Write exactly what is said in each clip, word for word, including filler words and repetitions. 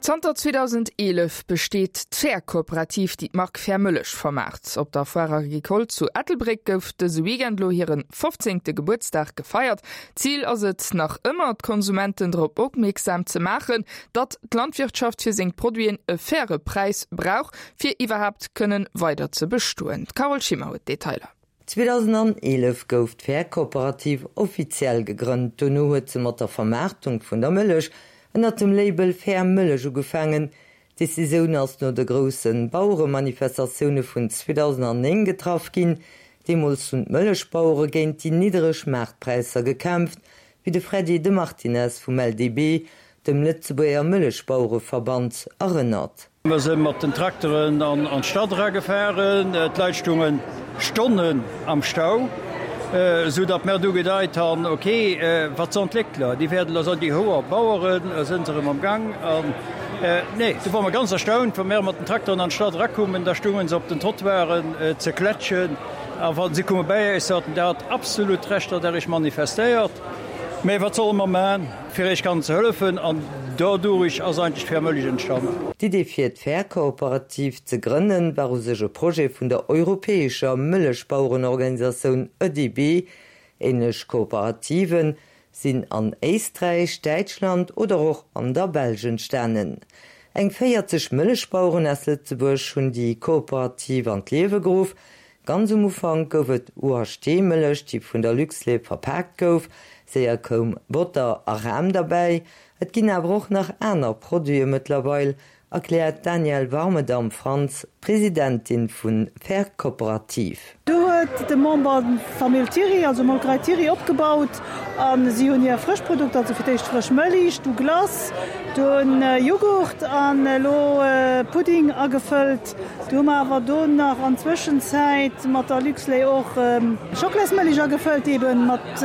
Zanter zweedausendeelef besteet d'Fair Kooperativ, déi d'Mark Fair Mëllech vermaart. Op der Foire Agricole zu Ettelbréck gouf dëse Weekend lo hire fofzéngte Gebuertsdag gefeiert. Zil ass et nach ëmmer, d'Konsumenten drop opmierksam ze maachen, datt d'Landwirtschaft fir seng Produiten e faire Präis brauch, fir iwwerhaapt kënnen weider ze bestoen. D'Carole Schimmer huet d'Detailer. Zweedausendeelef gouf d'Fair Kooperativ offiziell gegrënnt. Dono huet se mat der Vermaartung vun der Mëllech ënnert dem Label Fair Mëllech ugefaangen. D'Decisioun ass no de grousse Baueremanifestatioune vun zweedausendnéng getraff ginn. Deemools hunn d'Mëllechbauere géint déi niddereg Maartpräisser gekämpft, wéi de Freddy de Martinez vum L D B, dem Lëtzebuerger Mëllechbauereverband, erënnert. Mer si mat den Trakteren an d'Stad era gefahren, d'Leit stungen Stonnen am Stau, sou datt mer du gedeit han, ok, wat son d'Léckler, déi werden also déi hoer Baueren sinn se erëm am Gang an nee, du war mer ganz erstaunt, wa mer mat den Trakteren an d'Stad erakummen, da stungen se op den Trottoiren ze klätschen a wa si komme bäi eis, soten, Der hat absolut Recht, datt Der Iech manifestéiert, mä wat solle mer man, fir Iech kann ze hëllefen? An dodurich ass eigentlech d'Fair Mëllech entstanden. D'Idee fir d'Fair Kooperativ ze grënnen war u sech e Projet vun der europäescher Mëllechbauerenorganisatioun E D B. Ähnlech Kooperativen sinn an Éisträich, Däitschland oder och an der Belsch entstanen. Eng véierzeg Mëllechbaueren aus Lëtzebuerg hunn déi Kooperativ an d'Liewe geruff. Ganz um Ufank gouf et U H T-Mëllech, déi vun der Luxlait verpaakt gouf, séier koum Botter a Ram derbäi. Et ginn awer och nach aner Produite mëttlerweil, erkläert Danielle Warmedam-Franz, Presidentin vun Fair Kooperativ. Do huet de Member Famill Thiry, also Molkerei Thiry, opgebaut a si hunn hir frësch Produkter, also fir d'éischt frësch Mëlich, du Glace, dunn Jughurt an elo Pudding agefëllt. Du hu mer awer do nach an Zwëschenzäit mat der Luxlait och Schockelasmëlich agefëllt, eben mat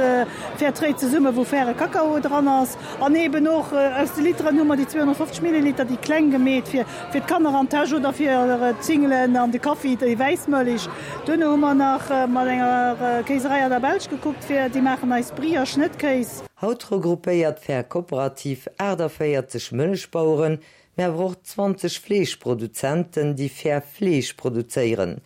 Fairtrade zesumme wou faire Kakao dran ass. An eben och aus de Literen hu mer déi zweehonnertfofzeg Milliliter, déi kleng gemeet fir fir d'Kanner an d'Täsch oder fir d'Singelen an de Kaffi, déi wäiss Mëlich. Duerno hu mer nach mat enger Kéiserei an der Belsch gekuckt fir déi maachen eis Brie a Schnëttkéis. Haut regroupéiert Fair Kooperativ aachtavéierzeg Mëllechbaueren, mä awer och zwanzeg Fleeschproduzenten, déi fair Fleesch produzéieren.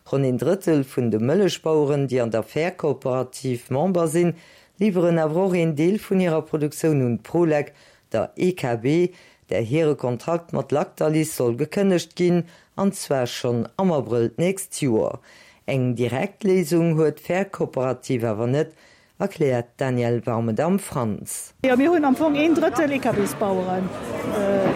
Ronn een Drëttel vun de Mëllechbaueren, déi an der Fair Kooperativ Member sinn, liwweren awer och een Deel vun hirer Produktioun un Prolec, der E K B, där hire Kontrakt mat Lactalis soll gekënnegt ginn, an zwar schonn am Abrëll d'nächst Joer. Eng direkt Léisung huet Fair Kooperativ awer net, erkläert Danielle Warmedam-Franz. Jo, mir hunn am Fong een Drëttel E K Bs-Baueren,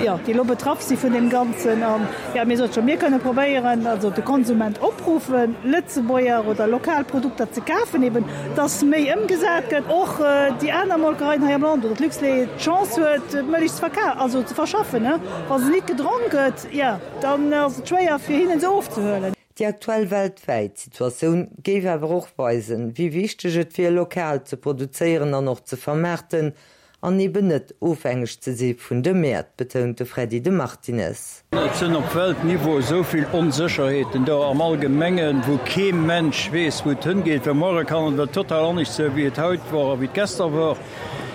jo, déi elo betraff si vun deem Ganzen. An, jo, mir sote scho, mir kënne probéieren, also de Konsument opruffen, Lëtzebuerger oder lokal Produkter ze kafen, eben dass méi ëmgesat gëtt, och déi aner Molkereien hei am Land oder d'Luxlait d'Chance huet, d'Mëlich ze verka-, also ze verschaffen, ne. Wa se nit gedronk gëtt, jo, dann ass et schwéier fir hinnen se ofzehuelen. Déi aktuell weltwäit Situatioun géif awer och weisen, wéi wichteg et wier, lokal ze produzéieren an och ze vermaarten an eben net ofhängeg ze si vun de Mäert, betount de Freddy de Martinez. Et sinn op Weltniveau esou vill Onsécherheeten do am Allgemengen, wou kee Mensch weess, wou et hëngeet, well muere kann et total anescht sinn, wéi et haut wor a wéi et gëschter wor.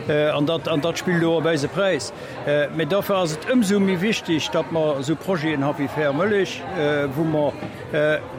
An dat, an dat spillt do op eise Präis. Mä dofir ass et ëmsou méi wichteg, datt mer esou Projeten ha wéi Fair Mëllech, wou mer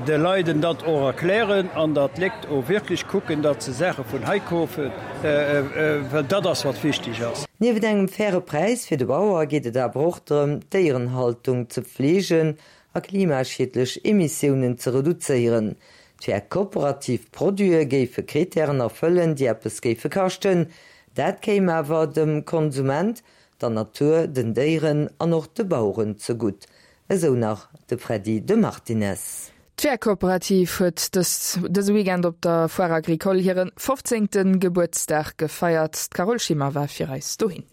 de Leiden dat och erklären an datt d'Léckt och wierklech kucken, datt se Saache vun hei kafen, well dat ass wat wichteg ass. Nieft engem faire Präis fir de Bauer geet et awer och drëm, d'Déierenhaltung ze fleegen a klimaschiedlech Emissiounen ze reduzéieren. D'Fair Kooperativ Produite géife Krittären erfëllen, déi eppes géife kaschten. Dat kéim awer dem Konsument, der Natur, den Déieren an och de Baueren zegutt. Esou nach de Freddy de Martinez. D'Fair Kooperativ huet dëse Weekend op der Foire Agricole hiren fofzéngte Gebuertsdag gefeiert. D'Carole Schimmer war fir eis dohin.